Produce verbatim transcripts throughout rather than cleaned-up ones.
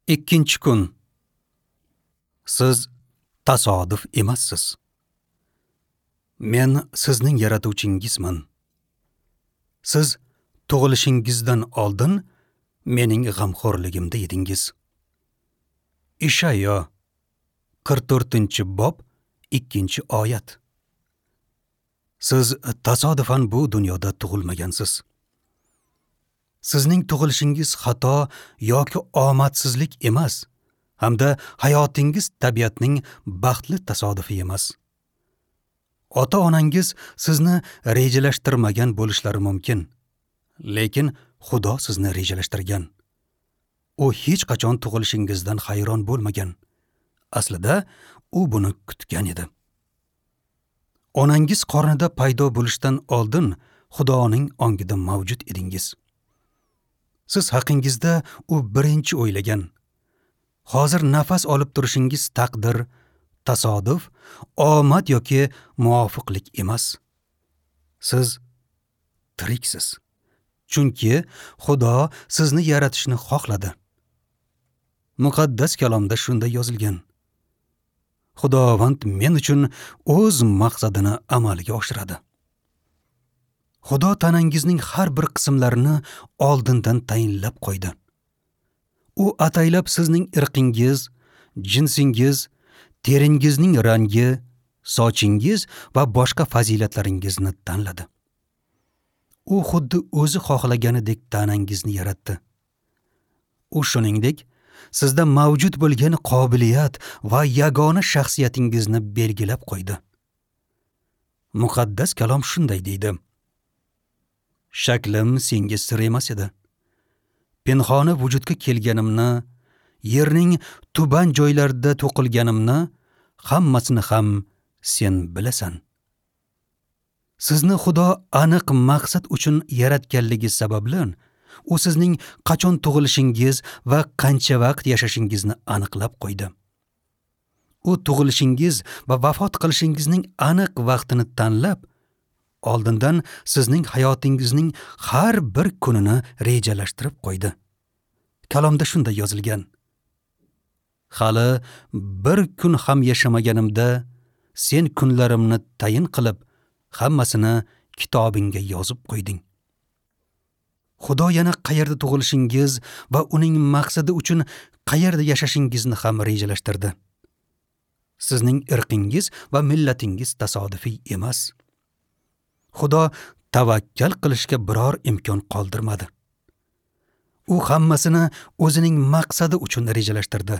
Ikkinchi kun. Siz tasodif emassiz. Men sizning yaratuvchingizman. Siz tug'ilishingizdan oldin mening g'amxo'rligimda edingiz. Ishayo qirq to'rtinchi bob ikkinchi oyat. Siz tasodifan bu dunyoda tug'ilmagansiz. Sizning tug'ilishingiz xato yoki omadsizlik emas, hamda hayotingiz tabiatning baxtli tasodifi emas. Ota-onangiz sizni rejalashtirmagan bo'lishlari mumkin, lekin Xudo sizni rejalashtirgan. U hech qachon tug'ilishingizdan hayron bo'lmagan. Aslida u buni kutgan edi. Onangiz qornida paydo bo'lishdan oldin Xudoning ongida mavjud edingiz. Siz haqingizda u birinchi o'ylagan. Hozir nafas olib turishingiz taqdir, tasodif, omad yoki muvofiqlik emas. Siz tiriksiz. Chunki Xudo sizni yaratishni xohladi. Muqaddas kalomda shunday yozilgan. Xudovand men uchun o'z maqsadini amalga oshiradi. Xudo tanangizning har bir qismlarini oldindan tayinlab qo'ydi. U ataylab sizning irqingiz, jinsingiz, teringizning rangi, sochingiz va boshqa fazilatlaringizni tanladi. U xuddi o'zi xohlaganidek tanangizni yaratdi. U shuningdek sizda mavjud bo'lgan qobiliyat va yagona shaxsiyatingizni belgilab qo'ydi. Muqaddas kalom shunday deydi: Shaklim senga sir emas edi. Pinhona vujudga kelganimni, yerning tuban joylarida to'qilganimni hammasini ham sen bilasan. Sizni Xudo aniq maqsad uchun yaratganligi sababli u sizning qachon tug'ilishingiz va qancha vaqt yashashingizni aniqlab qo'ydi. U tug'ilishingiz va vafot qilishingizning aniq vaqtini tanlab, oldindan sizning hayotingizning har bir kunini rejalashtirib qo'ydi. Kalomda shunday yozilgan: Hali bir kun ham yashamaganimda sen kunlarimni tayin qilib, hammasini kitobingga yozib qo'yding. Xudo yana qayerda tug'ilishingiz va uning maqsadi uchun qayerda yashashingizni ham rejalashtirdi. Sizning irqingiz va millatingiz tasodifiy emas. Xudo tavakkal qilishga biror imkon qoldirmadi. U hammasini o'zining maqsadi uchun rejalashtirdi.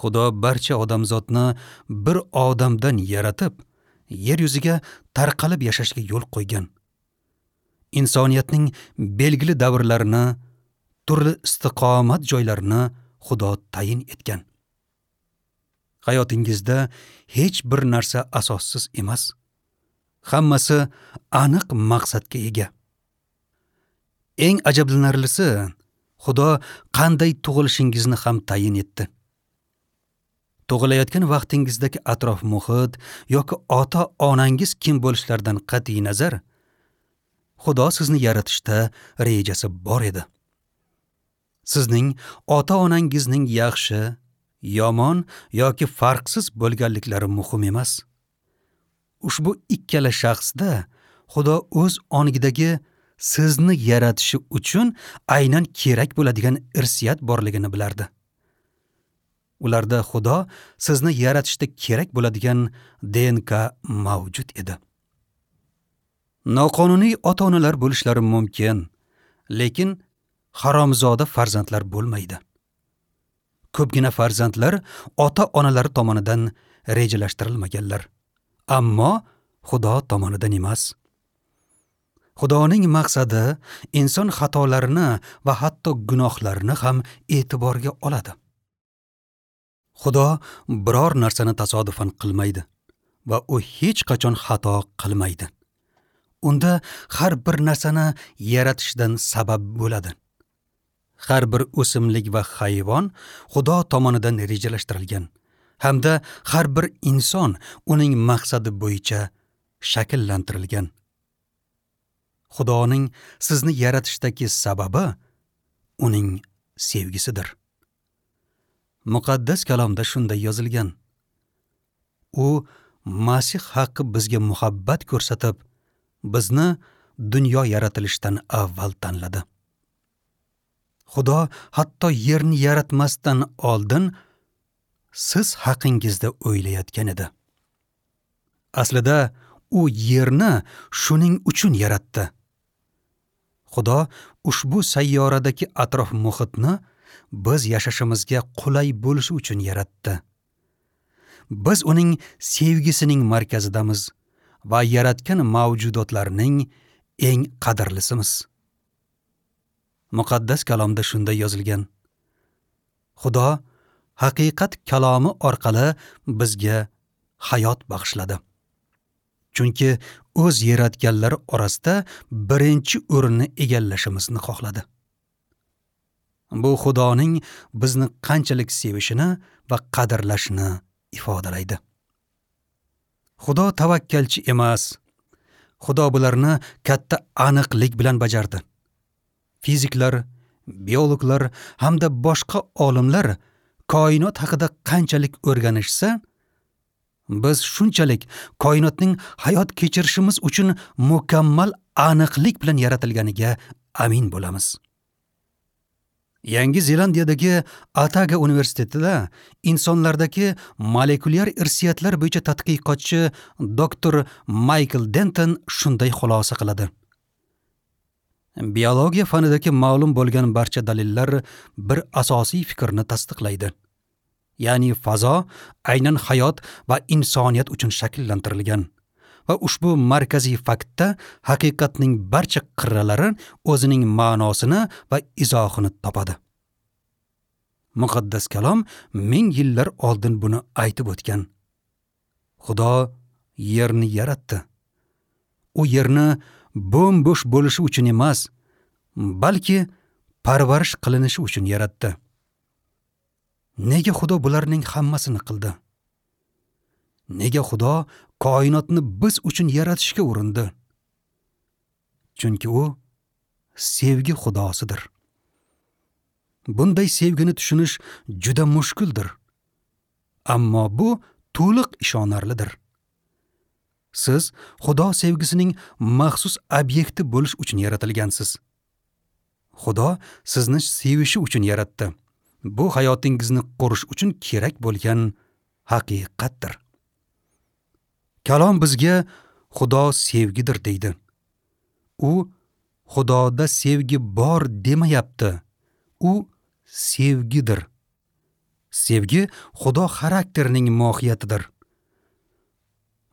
Xudo barcha odamzodni bir odamdan yaratib, yer yuziga tarqalib yashashga yo'l qo'ygan. Insoniyatning belgili davrlarini, turli istiqomat joylarini Xudo tayin etgan. Hayotingizda hech bir narsa asossiz emas. Hammasi aniq maqsadga ega. Eng ajablanarlisi, Xudo qanday tug'ilishingizni ham tayin etdi. Tug'ilayotgan vaqtingizdagi atrof-muhit yoki ota-onangiz kim bo'lishlaridan qat'iy nazar, Xudo sizni yaratishda rejasi bor edi. Sizning ota-onangizning yaxshi, yomon yoki farqsiz bo'lganliklari muhim emas. Ushbu ikkala shaxsda Xudo o'z ongidagi sizni yaratishi uchun aynan kerak bo'ladigan irsiyat borligini bilardi. Ularda Xudo sizni yaratishda kerak bo'ladigan D N K mavjud edi. Noqonuniy ota-onalar bo'lishlari mumkin, lekin haromzoda farzandlar bo'lmaydi. Ko'pgina farzandlar ota-onalari tomonidan rejalashtirilmaganlar, ammo Xudo tomonidan emas. Xudoning maqsadi inson xatolarini va hatto gunohlarini ham e'tiborga oladi. Xudo biror narsani tasodifan qilmaydi va u hech qachon xato qilmaydi. Unda har bir narsani yaratishdan sabab bo'ladi. Har bir o'simlik va hayvon Xudo tomonidan rejalashtirilgan hamda har bir inson uning maqsadi bo'yicha shakllantirilgan. Xudoning sizni yaratishdagi sababi uning sevgisidir. Muqaddas kalomda shunday yozilgan: U Masih haqqi bizga muhabbat ko'rsatib, bizni dunyo yaratilishidan avval tanladi. Xudo hatto yerni yaratmasdan oldin siz haqingizda o'ylayotgan edi. Aslida u yerni shuning uchun yaratdi. Xudo ushbu sayyoradagi atrof muhitni biz yashashimizga qulay bo'lishi uchun yaratdi. Biz uning sevgisining markazidamiz va yaratgan mavjudotlarning eng qadrlisimiz. Muqaddas kalomda shunday yozilgan: Xudo haqiqat kalomi orqali bizga hayot bag'ishladi. Chunki o'z yaratganlari orasida birinchi o'rinni egallashimizni xohladi. Bu Xudoning bizni qanchalik sevishini va qadrlashini ifodalaydi. Xudo tavakkalchi emas. Xudo bularni katta aniqlik bilan bajardi. Fiziklar, biologlar hamda boshqa olimlar koinot haqida qanchalik o'rganishsa, biz shunchalik koinotning hayot kechirishimiz uchun mukammal aniqlik bilan yaratilganiga amin bo'lamiz. Yangi Zelandiyadagi Otago universitetida insonlardagi molekulyar irsiyatlar bo'yicha tadqiqotchi doktor Maykl Denton shunday xulosa qiladi: Biologiya fanidagi ma'lum bo'lgan barcha dalillar bir asosiy fikrni tasdiqlaydi. Ya'ni fazo aynan hayot va insoniyat uchun shakllantirilgan va ushbu markaziy faktda haqiqatning barcha qirralari o'zining ma'nosini va izohini topadi. Muqaddas kalom ming yillar oldin buni aytib o'tgan. Xudo yerni yaratdi. U yerni bo'm-bo'sh bo'lishi uchun emas, balki parvarish qilinishi uchun yaratdi. Nega Xudo bularning hammasini qildi? Nega Xudo koinotni biz uchun yaratishga urindi? Chunki u sevgi xudosidir. Bunday sevgini tushunish juda mushkuldir. Ammo bu to'liq ishonarlidir. Siz Xudo sevgisining maxsus obyekti bo'lish uchun yaratilgansiz. Xudo sizni sevishi uchun yaratdi. Bu hayotingizni qurish uchun kerak bo'lgan haqiqatdir. Kalom bizga Xudo sevgidir deydi. U Xudoda sevgi bor demayapti. U sevgidir. Sevgi Xudo xarakterining mohiyatidir.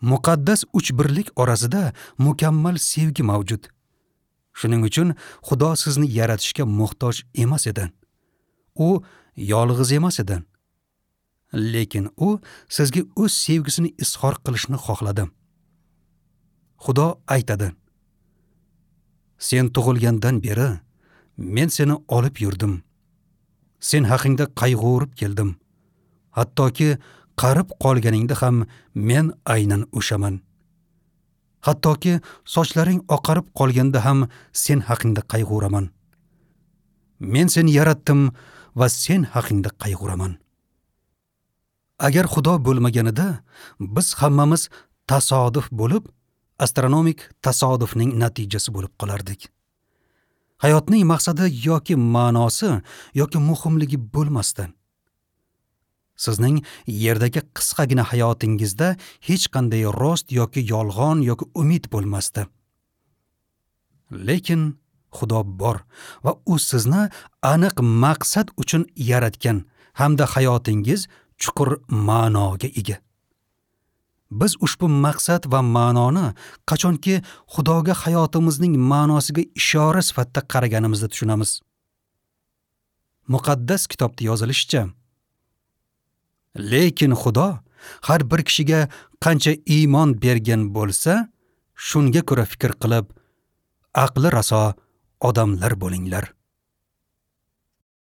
Muqaddas uch birlik orasida mukammal sevgi mavjud. Shuning uchun Xudo sizni yaratishga muhtoj emas edi. U yolg'iz emas edi. Lekin u sizga o'z sevgisini izhor qilishni xohladi. Xudo aytadi: Sen tug'ilgandan beri men seni olib yurdim. Sen haqingda qayg'urib keldim. Hattoki qarib qolganingda ham men aynan o'shaman. Hattoki sochlaring oqarib qolganda ham sen haqingda qayg'uraman. Men seni yaratdim va sen haqingda qayg'uraman. Agar Xudo bo'lmaganida biz hammamiz tasodif bo'lib, astronomik tasodifning natijasi bo'lib qolardik. Hayotning maqsadi yoki ma'nosi yoki muhimligi bo'lmasdi. Sizning yerdagi qisqagina hayotingizda hech qanday rost yoki yolg'on yoki umid bo'lmasdi. Lekin Xudo bor va u sizni aniq maqsad uchun yaratgan hamda hayotingiz chuqur ma'noga ega. Biz ushbu maqsad va ma'noni qachonki Xudoga hayotimizning ma'nosiga ishora sifatida qaraganimizda tushunamiz. Muqaddas kitobda yozilishicha, lekin Xudo har bir kishiga qancha iymon bergan bo'lsa, shunga ko'ra fikr qilib, aqli raso odamlar bo'linglar.